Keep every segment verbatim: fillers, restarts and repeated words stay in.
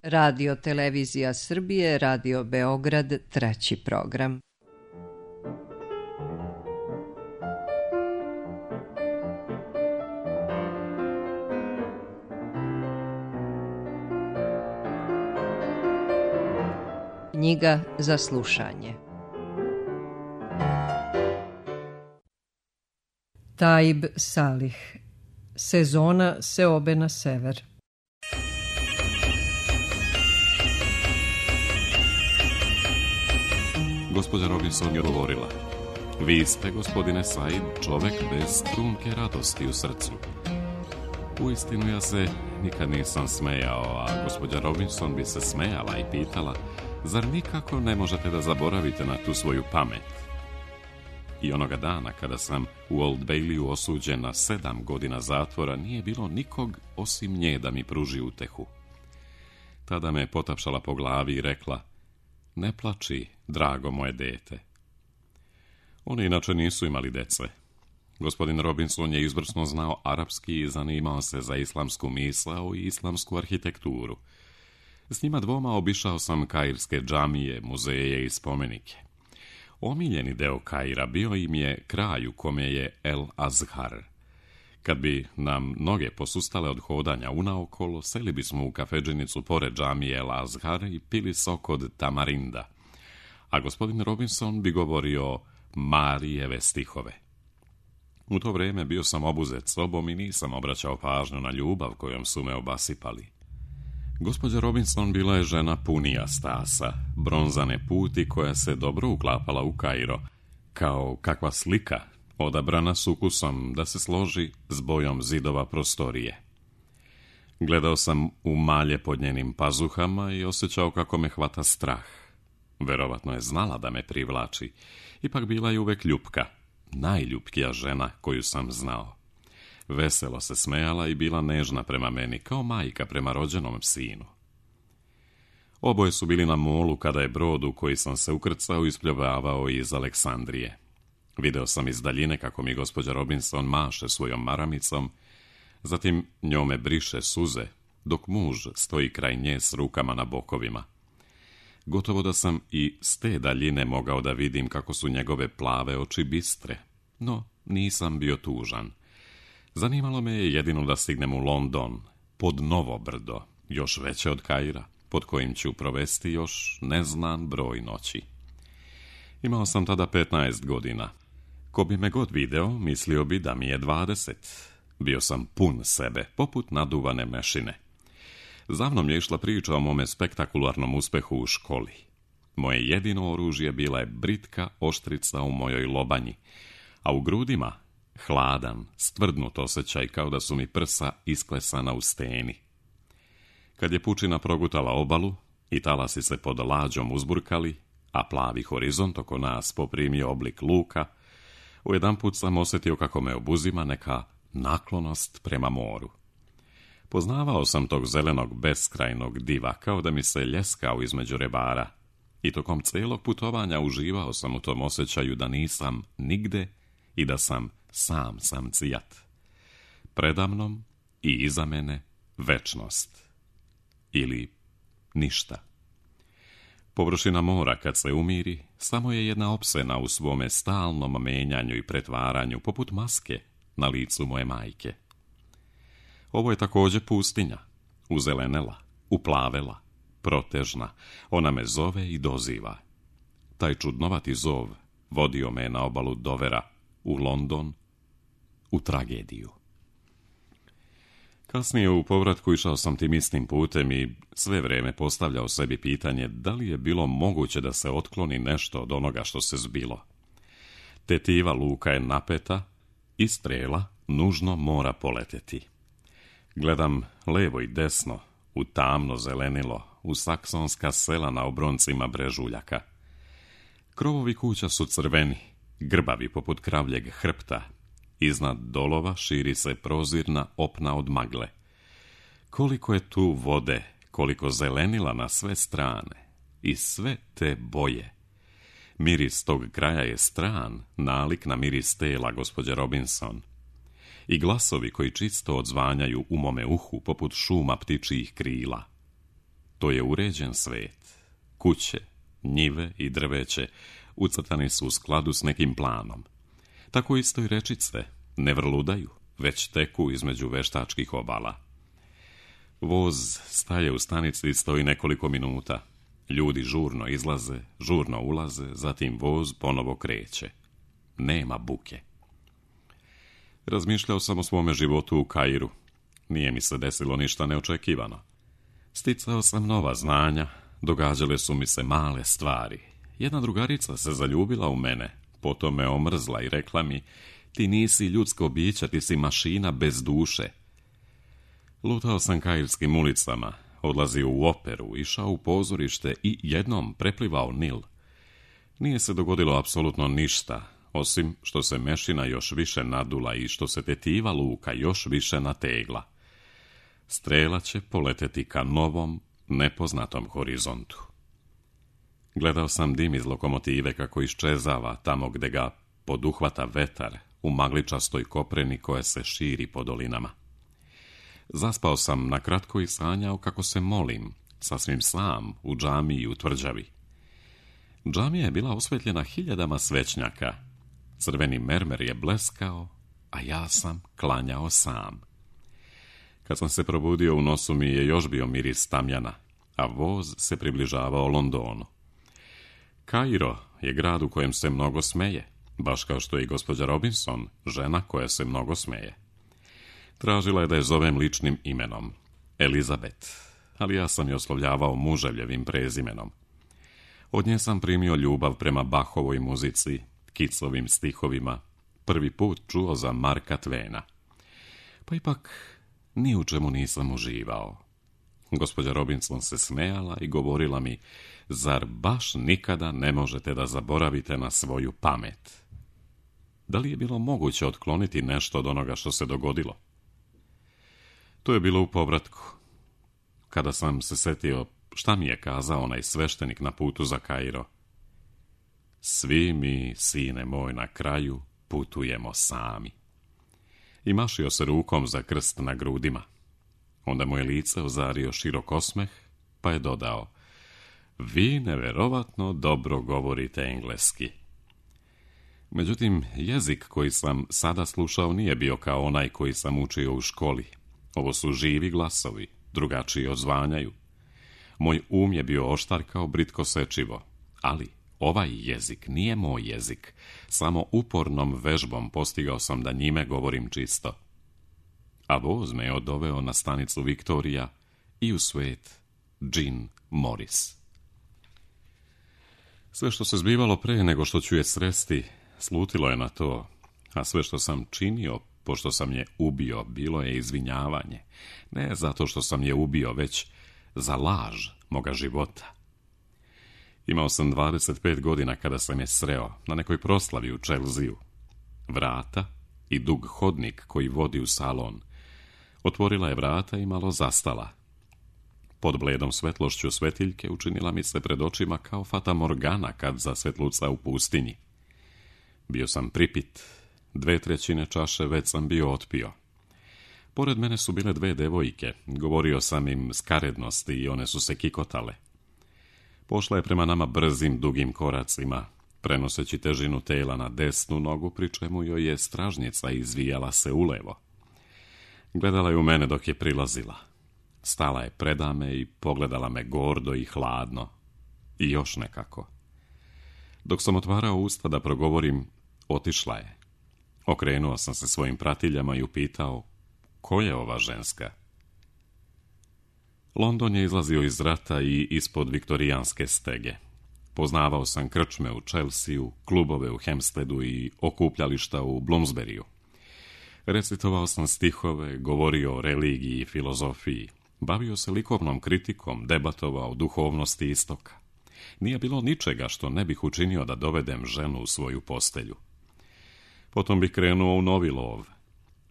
Radio Televizija Srbije, Radio Beograd, treći program. Knjiga za slušanje. Taib Salih. Sezona seobe na sever. Gospođa Robinson je govorila: vi ste, gospodine Said, čovek bez trunke radosti u srcu. Uistinu ja se nikad nisam smejao, a gospođa Robinson bi se smejala i pitala: zar nikako ne možete da zaboravite na tu svoju pamet? I onoga dana kada sam u Old Bayleyu osuđen na sedam godina zatvora, nije bilo nikog osim nje da mi pruži utehu. Tada me je potapšala po glavi i rekla: ne plači, drago moje dete. Oni inače nisu imali dece. Gospodin Robinson je izvrsno znao arapski i zanimao se za islamsku misao i islamsku arhitekturu. S njima dvoma obišao sam kairske džamije, muzeje i spomenike. Omiljeni deo Kaira bio im je kraj u kome je El Azhar. Kad bi nam noge posustale od hodanja unaokolo, seli bismo u kafedžinicu pored džamije El Azhar i pili sok od tamarinda. A gospodin Robinson bi govorio Marijeve stihove. U to vrijeme bio sam obuzet sobom i nisam obraćao pažnju na ljubav kojom su me obasipali. Gospođa Robinson bila je žena punija stasa, bronzane puti koja se dobro uklapala u Kairo, kao kakva slika, odabrana s ukusom da se složi s bojom zidova prostorije. Gledao sam u malje pod njenim pazuhama i osjećao kako me hvata strah. Verovatno je znala da me privlači, ipak bila je uvek ljupka, najljupkija žena koju sam znao. Veselo se smejala i bila nežna prema meni, kao majka prema rođenom sinu. Oboje su bili na molu kada je brod u koji sam se ukrcao ispljuvavao iz Aleksandrije. Video sam iz daljine kako mi gospođa Robinson maše svojom maramicom, zatim njome briše suze, dok muž stoji kraj nje s rukama na bokovima. Gotovo da sam i s te daljine mogao da vidim kako su njegove plave oči bistre, no nisam bio tužan. Zanimalo me je jedino da stignem u London, pod novo brdo, još veće od Kaira, pod kojim ću provesti još neznan broj noći. Imao sam tada petnaest godina. Ko bi me god video, mislio bi da mi je dvadeset. Bio sam pun sebe, poput naduvane mešine. Za mnom je išla priča o mome spektakularnom uspehu u školi. Moje jedino oružje bila je britka oštrica u mojoj lobanji, a u grudima hladan, stvrdnut osjećaj kao da su mi prsa isklesana u steni. Kad je pučina progutala obalu i talasi se pod lađom uzburkali, a plavi horizont oko nas poprimio oblik luka, ujedanput sam osjetio kako me obuzima neka naklonost prema moru. Poznavao sam tog zelenog beskrajnog diva kao da mi se ljeskao između rebara i tokom celog putovanja uživao sam u tom osjećaju da nisam nigde i da sam sam sam cijat. Predamnom i iza mene večnost. Ili ništa. Površina mora kad se umiri samo je jedna opsena u svome stalnom menjanju i pretvaranju poput maske na licu moje majke. Ovo je također pustinja, uzelenela, uplavela, protežna. Ona me zove i doziva. Taj čudnovati zov vodio me na obalu Dovera, u London, u tragediju. Kasnije u povratku išao sam tim istim putem i sve vrijeme postavljao sebi pitanje da li je bilo moguće da se otkloni nešto od onoga što se zbilo. Tetiva luka je napeta i strela nužno mora poleteti. Gledam levo i desno, u tamno zelenilo, u saksonska sela na obroncima brežuljaka. Krovovi kuća su crveni, grbavi poput kravljeg hrpta. Iznad dolova širi se prozirna opna od magle. Koliko je tu vode, koliko zelenila na sve strane i sve te boje. Miris tog kraja je stran, nalik na miris tela gospođe Robinson. I glasovi koji čisto odzvanjaju u mome uhu poput šuma ptičijih krila. To je uređen svet. Kuće, njive i drveće ucrtani su u skladu s nekim planom. Tako isto i rečice ne vrludaju, već teku između veštačkih obala. Voz staje u stanici i stoji nekoliko minuta. Ljudi žurno izlaze, žurno ulaze, zatim voz ponovo kreće. Nema buke. Razmišljao sam o svome životu u Kairu. Nije mi se desilo ništa neočekivano. Sticao sam nova znanja, događale su mi se male stvari. Jedna drugarica se zaljubila u mene, potom me omrzla i rekla mi: ti nisi ljudsko biće, ti si mašina bez duše. Lutao sam kairskim ulicama, odlazio u operu, išao u pozorište i jednom preplivao Nil. Nije se dogodilo apsolutno ništa, osim što se mešina još više nadula i što se tetiva luka još više nategla. Strela će poleteti ka novom, nepoznatom horizontu. Gledao sam dim iz lokomotive kako iščezava tamo gde ga poduhvata vetar u magličastoj kopreni koja se širi po dolinama. Zaspao sam na kratko i sanjao kako se molim, sasvim sam, u džamiji u tvrđavi. Džamija je bila osvetljena hiljadama svećnjaka. Crveni mermer je bleskao, a ja sam klanjao sam. Kad sam se probudio, u nosu mi je još bio miris tamjana, a voz se približavao Londonu. Kairo je grad u kojem se mnogo smeje, baš kao što je i gospođa Robinson, žena koja se mnogo smeje. Tražila je da je zovem ličnim imenom, Elizabeth, ali ja sam je oslovljavao muževljevim prezimenom. Od nje sam primio ljubav prema Bachovoj muzici, Keatsovim stihovima, prvi put čuo za Marka Twena. Pa ipak ni u čemu nisam uživao. Gospođa Robinson se smejala i govorila mi: zar baš nikada ne možete da zaboravite na svoju pamet? Da li je bilo moguće otkloniti nešto od onoga što se dogodilo? To je bilo u povratku. Kada sam se setio šta mi je kazao onaj sveštenik na putu za Kairo: svi mi, sine moj, na kraju putujemo sami. I mašio se rukom za krst na grudima. Onda mu je lice ozario širok osmeh, pa je dodao: vi neverovatno dobro govorite engleski. Međutim, jezik koji sam sada slušao nije bio kao onaj koji sam učio u školi. Ovo su živi glasovi, drugačiji odzvanjaju. Moj um je bio oštar kao britko sečivo, ali ovaj jezik nije moj jezik. Samo upornom vežbom postigao sam da njime govorim čisto. A voz me je odoveo na stanicu Viktorija i u svet Jean Morris. Sve što se zbivalo pre nego što ću je sresti, slutilo je na to, a sve što sam činio, pošto sam je ubio, bilo je izvinjavanje. Ne zato što sam je ubio, već za laž moga života. Imao sam dvadeset pet godina kada sam je sreo na nekoj proslavi u Čelziju. Vrata i dug hodnik koji vodi u salon. Otvorila je vrata i malo zastala. Pod bledom svetlošću svetiljke učinila mi se pred očima kao Fata Morgana kad zasvetluca u pustinji. Bio sam pripit, dve trećine čaše već sam bio otpio. Pored mene su bile dve devojke, govorio sam im skarednosti i one su se kikotale. Pošla je prema nama brzim, dugim koracima, prenoseći težinu tela na desnu nogu, pri čemu joj je stražnjica izvijala se ulevo. Gledala je u mene dok je prilazila. Stala je predame i pogledala me gordo i hladno. I još nekako. Dok sam otvarao usta da progovorim, otišla je. Okrenuo sam se svojim pratiljama i upitao: ko je ova ženska? London je izlazio iz rata i ispod viktorijanske stege. Poznavao sam krčme u Chelsea, klubove u Hampsteadu i okupljališta u Bloomsburyju. Recitovao sam stihove, govorio o religiji i filozofiji, bavio se likovnom kritikom, debatovao o duhovnosti istoka. Nije bilo ničega što ne bih učinio da dovedem ženu u svoju postelju. Potom bih krenuo u novi lov.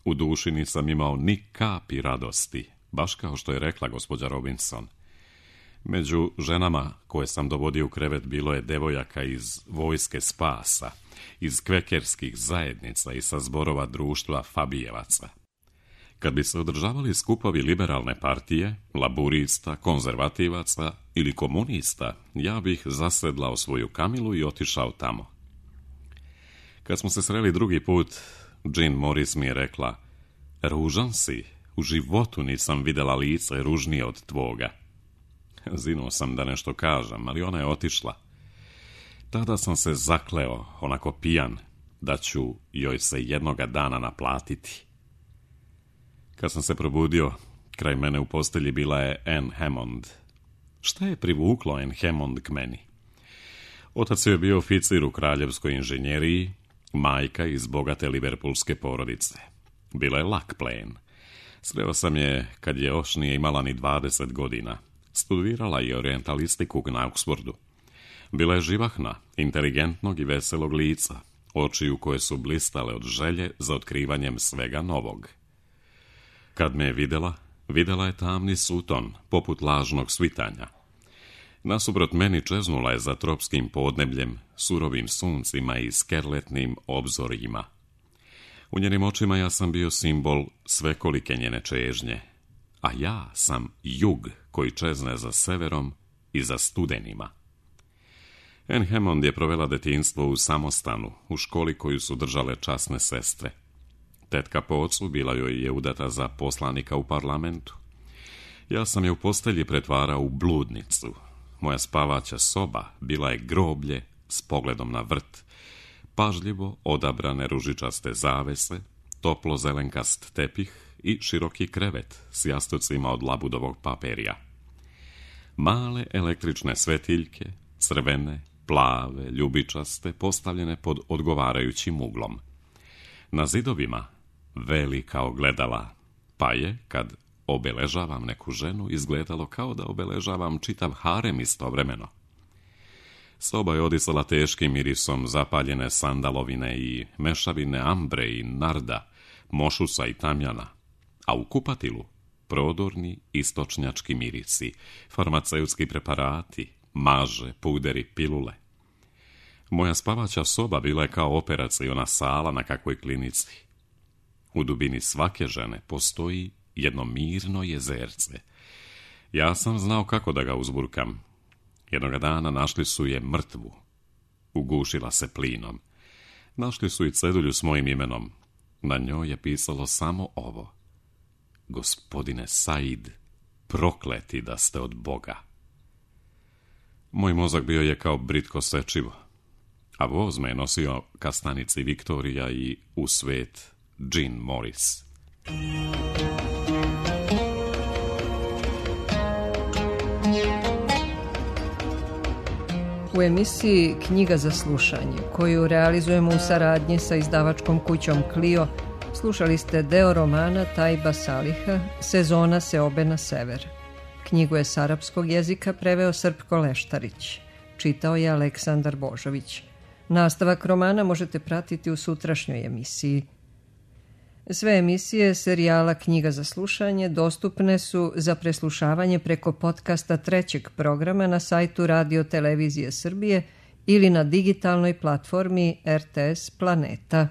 U duši nisam imao ni kapi radosti, baš kao što je rekla gospođa Robinson. Među ženama koje sam dovodio u krevet bilo je devojaka iz vojske spasa, iz kvekerskih zajednica i sa zborova društva Fabijevaca. Kad bi se održavali skupovi liberalne partije, laburista, konzervativaca ili komunista, ja bih zasedlao svoju kamilu i otišao tamo. Kad smo se sreli drugi put, Jean Morris mi je rekla: ružan si, u životu nisam vidjela lice ružnije od tvoga. Zinuo sam da nešto kažem, ali ona je otišla. Tada sam se zakleo, onako pijan, da ću joj se jednoga dana naplatiti. Kad sam se probudio, kraj mene u postelji bila je Anne Hammond. Šta je privuklo Anne Hammond k meni? Otac je bio oficir u kraljevskoj inženjeriji, majka iz bogate liverpoolske porodice. Bila je lak plen. Sreo sam je kad je još nije imala ni dvadeset godina. Studirala je orientalistiku na Oxfordu. Bila je živahna, inteligentnog i veselog lica, očiju koje su blistale od želje za otkrivanjem svega novog. Kad me je vidjela, vidjela je tamni suton, poput lažnog svitanja. Nasuprot meni čeznula je za tropskim podnebljem, surovim suncima i skerletnim obzorjima. U njenim očima ja sam bio simbol svekolike njene čežnje, a ja sam jug koji čezne za severom i za studenima. Anne Hammond je provela detinjstvo u samostanu, u školi koju su držale časne sestre. Tetka po ocu bila joj je udata za poslanika u parlamentu. Ja sam je u postelji pretvarao u bludnicu. Moja spavaća soba bila je groblje s pogledom na vrt, pažljivo odabrane ružičaste zavese, toplo zelenkast tepih i široki krevet s jastucima od labudovog paperija. Male električne svetiljke, crvene, plave, ljubičaste, postavljene pod odgovarajućim uglom. Na zidovima velika ogledala, pa je, kad obeležavam neku ženu, izgledalo kao da obeležavam čitav harem istovremeno. Soba je odisala teškim mirisom zapaljene sandalovine i mešavine ambre i narda, mošusa i tamjana, a u kupatilu prodorni istočnjački mirisi, farmaceutski preparati, maže, puderi, pilule. Moja spavaća soba bila je kao operaciona sala na kakvoj klinici. U dubini svake žene postoji jedno mirno jezerce. Ja sam znao kako da ga uzburkam. Jednoga dana našli su je mrtvu. Ugušila se plinom. Našli su i cedulju s mojim imenom. Na njoj je pisalo samo ovo: gospodine Said, prokleti da ste od Boga. Moj mozak bio je kao britko sečivo, a voz me je nosio ka stanici Viktorija i u svet Jean Morris. U emisiji Knjiga za slušanje, koju realizujemo u saradnji sa izdavačkom kućom Clio, slušali ste deo romana Tajba Saliha Sezona seobe na sever. Knjigu je s arapskog jezika preveo Srpko Leštarić. Čitao je Aleksandar Božović. Nastavak romana možete pratiti u sutrašnjoj emisiji. Sve emisije serijala Knjiga za slušanje dostupne su za preslušavanje preko podcasta trećeg programa na sajtu Radio Televizije Srbije ili na digitalnoj platformi R T S Planeta.